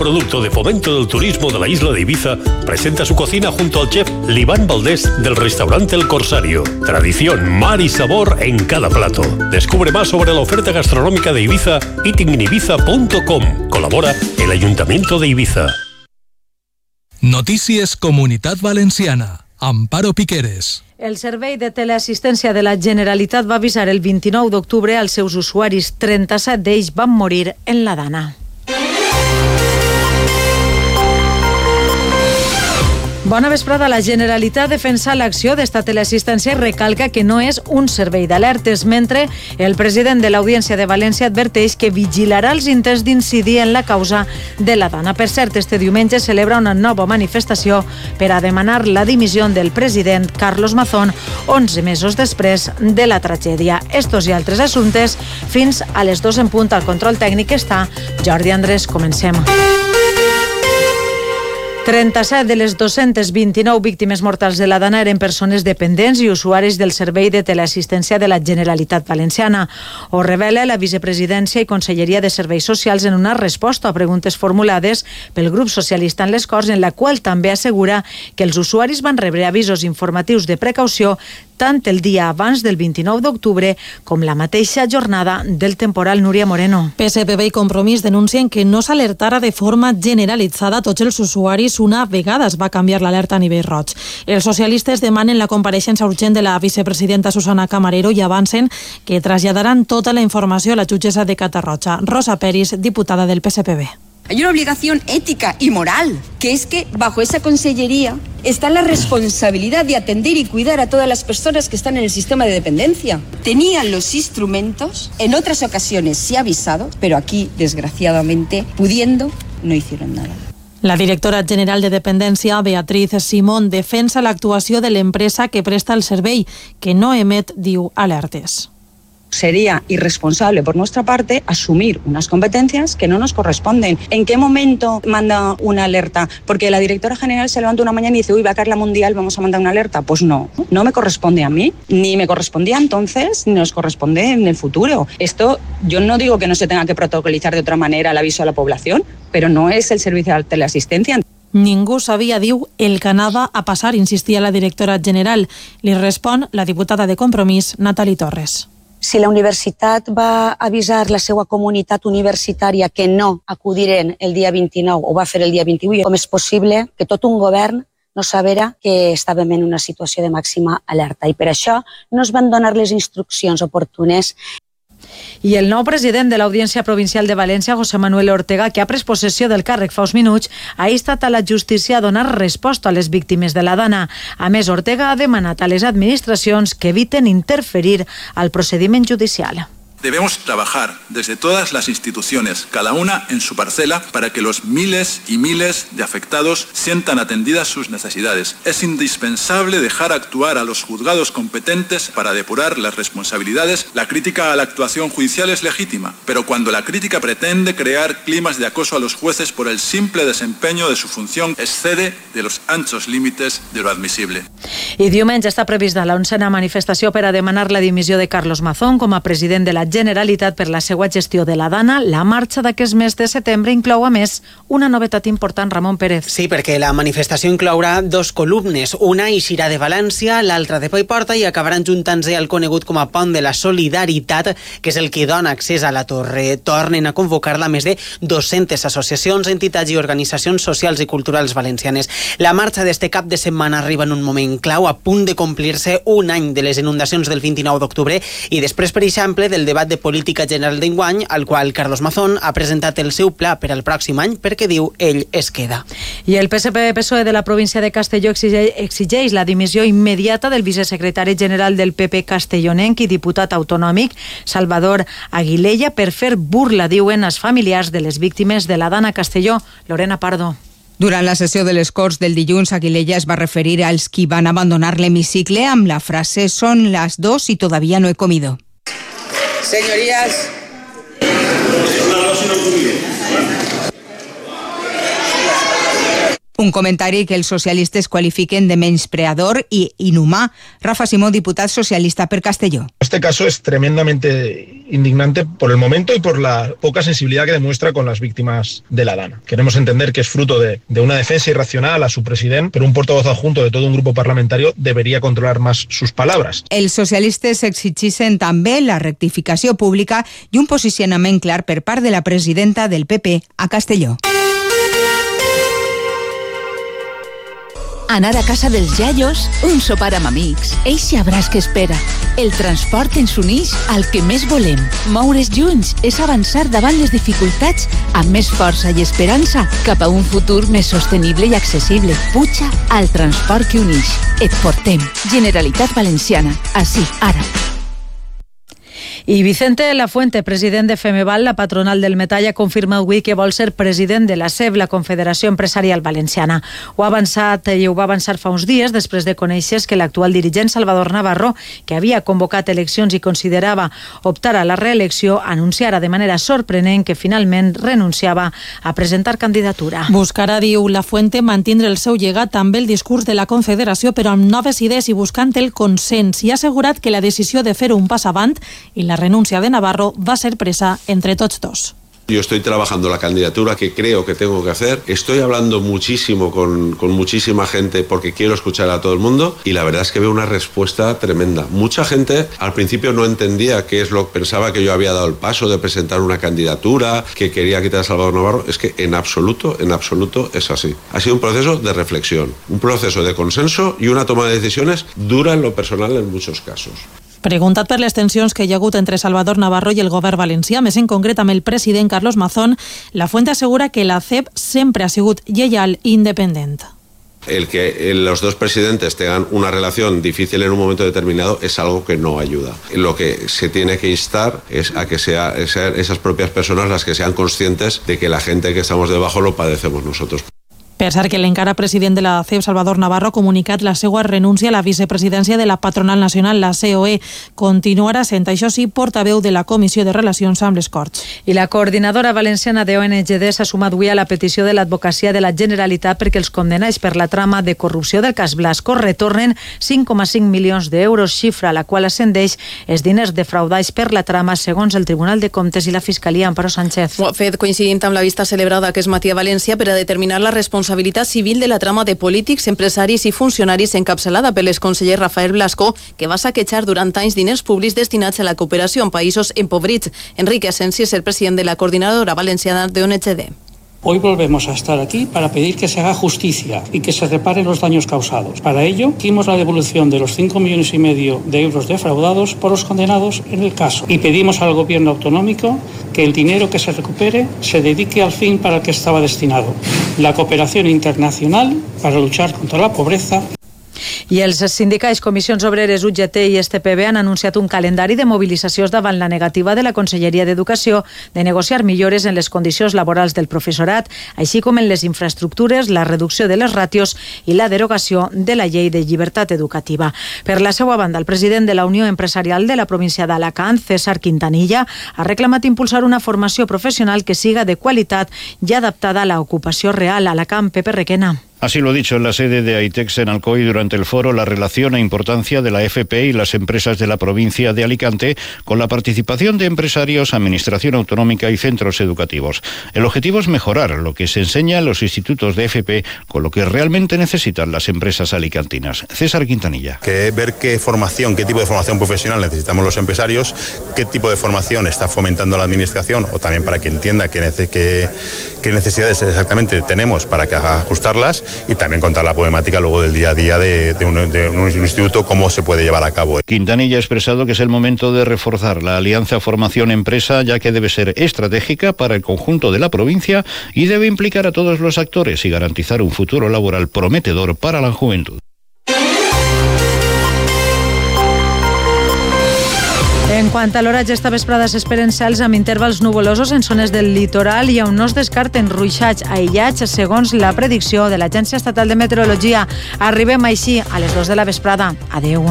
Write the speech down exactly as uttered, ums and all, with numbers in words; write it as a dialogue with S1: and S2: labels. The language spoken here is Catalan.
S1: Producto de Fomento del Turismo de la isla de Ibiza, presenta su cocina junto al chef Liván Valdés del restaurante El Corsario. Tradición, mar y sabor en cada plato. Descubre más sobre la oferta gastronómica de Ibiza eating in ibiza punto com. Colabora el Ayuntamiento de Ibiza.
S2: Notícies Comunitat Valenciana. Amparo Piqueres.
S3: El Servei de Teleassistència de la Generalitat va avisar el vint-i-nou d'octubre als seus usuaris. trenta-set d'ells van morir en la Dana. Bona vesprada. La Generalitat defensa l'acció d'esta teleassistència i recalca que no és un servei d'alertes, mentre el president de l'Audiència de València adverteix que vigilarà els intents d'incidir en la causa de la Dana. Per cert, este diumenge celebra una nova manifestació per a demanar la dimissió del president Carlos Mazón, onze mesos després de la tragèdia. Estos i altres assumptes fins a les dues en punt. Al control tècnic està Jordi Andrés. Comencem. trenta-set de les dos-centes vint-i-nou víctimes mortals de la Dana eren persones dependents i usuaris del Servei de Teleassistència de la Generalitat Valenciana. Ho revela la Vicepresidència i Conselleria de Serveis Socials en una resposta a preguntes formulades pel grup socialista en les Corts, en la qual també assegura que els usuaris van rebre avisos informatius de precaució tant el dia abans del vint-i-nou d'octubre com la mateixa jornada del temporal. Núria Moreno.
S4: P S P B i Compromís denuncien que no s'alertara de forma generalitzada a tots els usuaris una vegada es va canviar l'alerta a nivell roig. Els socialistes demanen la compareixença urgent de la vicepresidenta Susana Camarero i avancen que traslladaran tota la informació a la jutgessa de Catarroja. Rosa Peris, diputada del P S P B.
S5: Hay una obligación ética y moral, que es que bajo esa consellería está la responsabilidad de atender y cuidar a todas las personas que están en el sistema de dependencia. Tenían los instrumentos, en otras ocasiones se ha avisado, pero aquí, desgraciadamente, pudiendo, no hicieron nada.
S4: La directora general de Dependència, Beatriz Simón, defensa l'actuació de l'empresa que presta el servei, que no emet, diu, alertes.
S6: Sería irresponsable por nuestra parte asumir unas competencias que no nos corresponden. ¿En qué momento manda una alerta? Porque la directora general se levanta una mañana y dice, uy, va a caer la mundial, vamos a mandar una alerta. Pues no, no me corresponde a mí, ni me correspondía entonces, ni nos corresponde en el futuro. Esto, yo no digo que no se tenga que protocolizar de otra manera el aviso a la población, pero no es el servicio de teleasistencia.
S4: Ningú sabia, diu, el que anava a passar, insistia la directora general. Li respon la diputada de Compromís, Natali Torres.
S7: Si la universitat va avisar la seva comunitat universitària que no acudiren el dia vint-i-nou o va fer el dia vint-i-vuit, com és possible que tot un govern no sabera que estàvem en una situació de màxima alerta? I per això no es van donar les instruccions oportunes.
S3: I el nou president de l'Audiència Provincial de València, José Manuel Ortega, que ha pres possessió del càrrec fa uns minuts, ha instat a la justícia a donar resposta a les víctimes de la Dana. A més, Ortega ha demanat a les administracions que eviten interferir al procediment judicial.
S8: Debemos trabajar desde todas las instituciones, cada una en su parcela, para que los miles y miles de afectados sientan atendidas sus necesidades. Es indispensable dejar actuar a los juzgados competentes para depurar las responsabilidades. La crítica a la actuación judicial es legítima, pero cuando la crítica pretende crear climas de acoso a los jueces por el simple desempeño de su función, excede de los anchos límites de lo admisible.
S3: I diumenge està prevista l'onzena manifestació per a demanar la dimissió de Carlos Mazón com a president de la Generalitat per la seva gestió de la Dana. La marxa d'aquest mes de setembre inclou, a més, una novetat important. Ramon Pérez.
S9: Sí, perquè la manifestació inclourà dos columnes. Una eixirà de València, l'altra de Paiporta i acabaran juntant-se al conegut com a Pont de la Solidaritat, que és el que dona accés a la torre. Tornen a convocar-la més de dues-centes associacions, entitats i organitzacions socials i culturals valencianes. La marxa d'este cap de setmana arriba en un moment clau, a punt de complir-se un any de les inundacions del vint-i-nou d'octubre i després, per exemple, del debat de política general d'enguany, al qual Carlos Mazón ha presentat el seu pla per al pròxim any perquè, diu, ell es queda.
S3: I el P S P P S O E de la província de Castelló exigeix, exigeix la dimissió immediata del vicesecretari general del P P castellonenc i diputat autonòmic Salvador Aguilella per fer burla, diuen, als familiars de les víctimes de la Dana Castelló. Lorena Pardo.
S10: Durant la sessió de les Corts del dilluns, Aguilella es va referir als qui van abandonar l'hemicicle amb la frase «Son las dos y todavía no he comido».
S11: Señorías,
S10: Un comentari que els socialistes qualifiquen de menyspreador i inhumà. Rafa Simó, diputat socialista per Castelló.
S12: Este caso es tremendamente indignante por el momento y por la poca sensibilidad que demuestra con las víctimas de la Dana. Queremos entender que es fruto de, de una defensa irracional a su presidente, pero un portavoz adjunto de todo un grupo parlamentario debería controlar más sus palabras.
S10: Els socialistes exigeixen també la rectificació pública i un posicionament clar per part de la presidenta del P P a Castelló.
S13: Anar a casa dels iaios, un sopar amb amics, eixe abraç que espera. El transport ens uneix al que més volem. Moure's junts és avançar davant les dificultats amb més força i esperança cap a un futur més sostenible i accessible. Puja al transport que uneix. Et portem. Generalitat Valenciana. Així, ara.
S3: I Vicente Lafuente, president de Femeval, la patronal del metall, ha confirmat avui que vol ser president de la C E B, la Confederació Empresarial Valenciana. Ho ha avançat i ho va avançar fa uns dies després de conèixer que l'actual dirigent Salvador Navarro, que havia convocat eleccions i considerava optar a la reelecció, anunciara de manera sorprenent que finalment renunciava a presentar candidatura.
S4: Buscarà, diu Lafuente, mantindre el seu llegat també el discurs de la Confederació, però amb noves idees i buscant el consens, i ha assegurat que la decisió de fer un pas avant i la renuncia de Navarro va a ser presa entre tots dos.
S14: Yo estoy trabajando la candidatura que creo que tengo que hacer. Estoy hablando muchísimo con, con muchísima gente porque quiero escuchar a todo el mundo y la verdad es que veo una respuesta tremenda. Mucha gente al principio no entendía qué es lo que pensaba, que yo había dado el paso de presentar una candidatura, que quería quitar a Salvador Navarro. Es que en absoluto, en absoluto es así. Ha sido un proceso de reflexión, un proceso de consenso y una toma de decisiones dura en lo personal en muchos casos.
S4: Preguntat per les tensions que hi ha hagut entre Salvador Navarro i el govern valencià, més en concret amb el president Carlos Mazón, Lafuente assegura que la C E B sempre ha sigut lleial i independent.
S14: El que los dos presidentes tengan una relación difícil en un momento determinado es algo que no ayuda. Lo que se tiene que instar es a que sea, sean esas propias personas las que sean conscientes de que la gente que estamos debajo lo padecemos nosotros.
S4: Per cert, que l'encara president de la C E B, Salvador Navarro, ha comunicat la seva renúncia a la vicepresidència de la patronal nacional, la C O E. Continuarà sent, això sí, portaveu de la Comissió de Relacions amb les Corts.
S3: I la coordinadora valenciana de O N G D s'ha sumat avui a la petició de l'advocacia de la Generalitat perquè els condemnats per la trama de corrupció del cas Blasco retornen cinc coma cinc milions d'euros, xifra a la qual ascendeix els diners defraudats per la trama, segons el Tribunal de Comptes i la Fiscalia. Amparo Sánchez.
S15: Ho ha fet coincidint amb la vista celebrada aquest matí a València per a determinar la responsabilitat responsabilitat civil de la trama de polítics, empresaris i funcionaris encapçalada per l'exconseller Rafael Blasco, que va saquejar durant anys diners públics destinats a la cooperació en països empobrits. Enrique Asensi és el president de la coordinadora valenciana de O N G D.
S16: Hoy volvemos a estar aquí para pedir que se haga justicia y que se reparen los daños causados. Para ello, pedimos la devolución de los cinco millones y medio de euros defraudados por los condenados en el caso. Y pedimos al gobierno autonómico que el dinero que se recupere se dedique al fin para el que estaba destinado: la cooperación internacional para luchar contra la pobreza.
S3: I els sindicats Comissions Obreres, U G T i S T P B han anunciat un calendari de mobilitzacions davant la negativa de la Conselleria d'Educació de negociar millores en les condicions laborals del professorat, així com en les infraestructures, la reducció de les ràtios i la derogació de la llei de llibertat educativa. Per la seva banda, el president de la Unió Empresarial de la província d'Alacant, César Quintanilla, ha reclamat impulsar una formació professional que siga de qualitat i adaptada a la ocupació real. Alacant, Pepe Requena.
S17: Así lo ha dicho en la sede de AITEX en Alcoy durante el foro La relación e importancia de la F P y las empresas de la provincia de Alicante, con la participación de empresarios, administración autonómica y centros educativos. El objetivo es mejorar lo que se enseña en los institutos de F P con lo que realmente necesitan las empresas alicantinas. César Quintanilla.
S18: Que ver qué formación, qué tipo de formación profesional necesitamos los empresarios, qué tipo de formación está fomentando la administración, o también para que entienda qué, qué, qué necesidades exactamente tenemos para que haga ajustarlas, y también contar la problemática luego del día a día de, de, un, de un instituto, cómo se puede llevar a cabo.
S17: Quintanilla ha expresado que es el momento de reforzar la alianza formación-empresa, ya que debe ser estratégica para el conjunto de la provincia y debe implicar a todos los actores y garantizar un futuro laboral prometedor para la juventud.
S3: En quant a l'oratge, esta vesprada s'esperen cels amb intervals nuvolosos en zones del litoral i on no es descarten ruixats aïllats, segons la predicció de l'Agència Estatal de Meteorologia. Arribem així a les dues de la vesprada. Adeu.